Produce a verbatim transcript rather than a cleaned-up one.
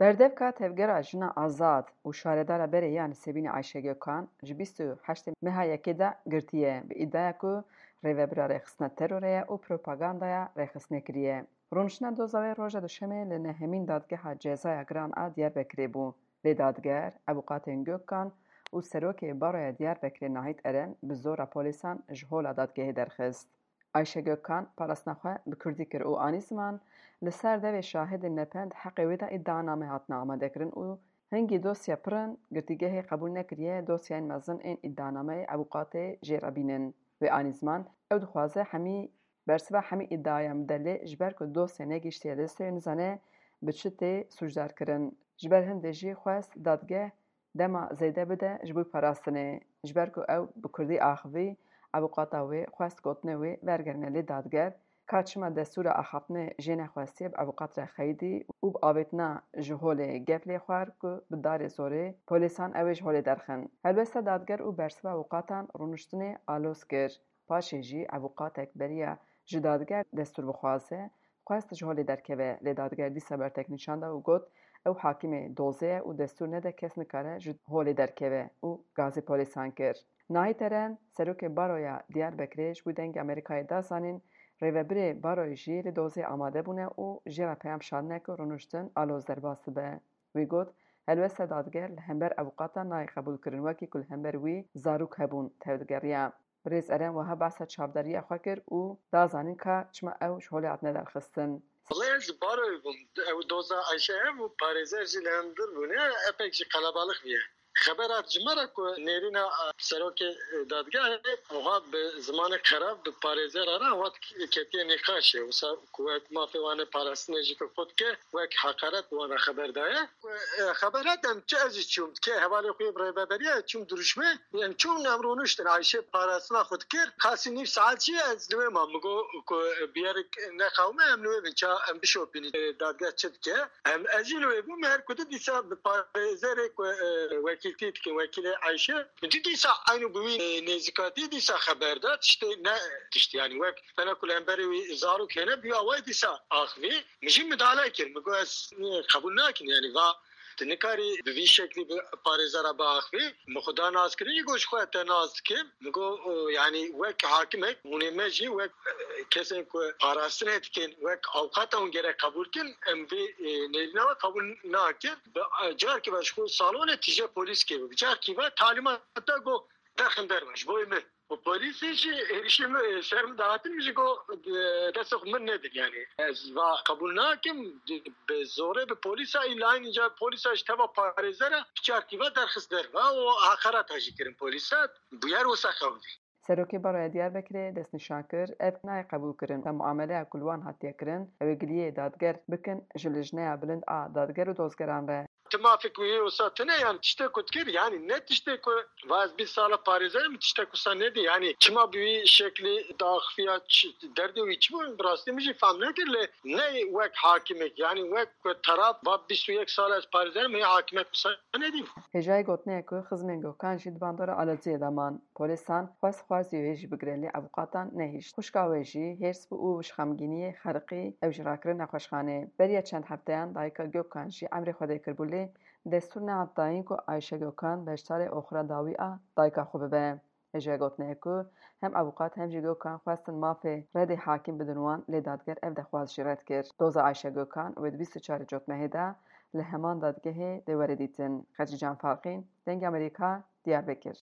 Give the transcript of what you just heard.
Berdevka Tevgera Jina Azad û şaredara berê ya Nisêbînê Ayşe Gökhan ji bîst û heştê meha yekê de girtiye, bi îdiaya ku rêvebira rêxistina terorê ye û propagandaya rêxistinê kiriye. Rûniştina doza wê roja Duşemê li nehemîn Dadgeha Cezaya Giran a Diyarbekirê bû. Lê dadger, avûkatên Gökhan û Serokê Baroya Diyarbekirê Nahît Eren bi zora polîsan ji hola dadgehê derxist. Ayşe Gökhan parastina xwe bi kurdî kir û anî ziman, li ser devê şahidên nepend heqê wê de îdianame hatine amadekirin û hingî dosya pir in, girtîgehê qebûl nekiriye dosyayên mezin ên îdianameyê avûkatê jê re bînin. Wê anî ziman, ew dixwaze hemî bersiva hemî îdiayan bide, lê ji ber ku dosya negihiştiye destê wê, nizane bi çi tê sûcdar kirin. Ji ber hindê jî xwest dadgeh dema zêde bide ji bo parastinê. Ji ber ku ew bi kurdî axivî, avûkata wê xwest gotinê wê wergerîne, lê dadger ka çima destûra axaftinê jê nexwestiye, bi avûkat re xeyidî û bi avêtina ji holê gef lê xwar ku bi darê zorê polîsan ew ê ji holê derxin. Helwesta dadger û bersiva avûkatan rûniştinê aloz kir. Paşê jî avûkatek beriya ji dadger destûr bixwaze, xwest ji holê derkeve, lê dadger dîsa bertek nîşan da û got, ew hakimê dozê ye û destûr nede kes nikare ji holê derkeve û gazê polîsan kir. Nahît Eren, serokê baroya Diyarbekirê ji bo Dengê Amerîkayê da zanîn, rêvebirê baroyê jî li dozê amade bûne û jê re peyam şandine ku rûniştin aloz derbas dibe. Wî got, helwesta dadger li hember avûkatan nayê qebûlkirin, wekî ku li hember wî zarok hebûn tevdigeriya. Birêz Eren wiha behsa çavdariya xwe kir û da zanîn ka çima ew ji holê hatine derxistin. Wele ez baroyê bûm. Ew doza Ayşe hev û parêzer jî li hundir bûne, epek jî qelebalix bûye. Xeber hat ji me re ku nêrîna, e, serokê, e, dadgehê, wiha bi zimanê xerab bi parêzera re hat ketiye nîqaşê. Wisa ku wek mafê wan ê parastinê jî ku xwe dike, wek heqaret wan re xeber daye. Ku, e, xeber hat em çi, ez jî çûm. Kê hevalê xwe yê bi rêveberiya çûm dirûşmê. Em çûn, em rûniştin. Ayşe parastina xwe dikir. Qasî nîv saet jî ez li wê mam. Min got ku biyerik nexawime, em li wê bin ça em bişopînin. E, dadgeh çi dike? Em, ez jî li wê bûm, her ku di dîsa bi parêzerê ku, e, wekîltî dikin, wekîlê Ayşe. Min dî dîsa eynû bi wî, e, nêzîkatî dîsa xeber da, tiştê ne tiştî, yanî wek tena ku li hemberê wî zarok hene, bi awayî dîsa axivî. Min jî midale kir, min got ez, e, qebûl nakim, yanî va tu nikarî bi vî şeklî bi parêzera biaxivî. Min xwe da naskirin, jî got ji xwe te nas dikim. Min got, e, yanî wek hakimek, hûnê me jî wek, e, kesên ku parastinê dikin, wek avukata hûn gerek qebûl kin, em vê, e, nêrîna we qebûl nakin. Bi, e, carkî ve ji xwe salonê tije polîs kê, bi carkî ve talîmata got derxin derve ji bo min. Û polîsê jî êrişê min, e, ser min dahatin, min jî got, e, destê xwe min nedin, yanî ez va qebûl nakim, bi zorê bi polîsa, îla îca polîsa ji teva parêzera bi carkî ve derxist derve û heqareta jî kirin polîsa. Bûyer wisa xewdî. Serokê Baroya Diyarbekirê destnîşan kir, ev nayê qebûlkirin. Te muameleya ku li wan hatiye kirin, ew ê giliyê dadger bikin ji Lijneya Bilind a Dadger û Dozgeran re. Tu mafek wî wisa tune, yan tiştê ku dikir, yanî ne tiştê ku va ez bîst sala parêzer im, tiştek wisa nedî. Yanî çima bi wî şeklî daxifiya, çi, derdê wî çi bû, bi rastî min jî fehm nekir, lê ne wek hakimek, yanî wek ku teraf va bîst û yek sal ez parêzer im, hê hakimek wisa nedî. Hêjayî gotinê ye ku xizmên Gökhan jî di bandora aloziyê de man. Polîsan xwest xwarzî wê jî bigire, lê avûkatan nehişt. Xwişka wê jî hêrs bû û ji xemgîniyê xeriqî, ew jî rakirine nexweşxanê. Beriya çend hefteyan dayika Gökhan jî emrê xwe dê kiribû, lê destûr nehat dayîn ku Ayşe Gökhan beşdarê oxira dawî a dayika xwe bibe. Hêjayî gotinê ye ku hem avûkat hem jî Gökhan xwestin mafê redê hakim bidin wan, lê dadger ev dexwaz jî red kir. Doza Ayşe Gökhan wê di bîst û çarê Cotmehê de li heman dadgehê dê were dîtin. Xecîcan Farqîn, Dengê Amerîka, Diyarbekir.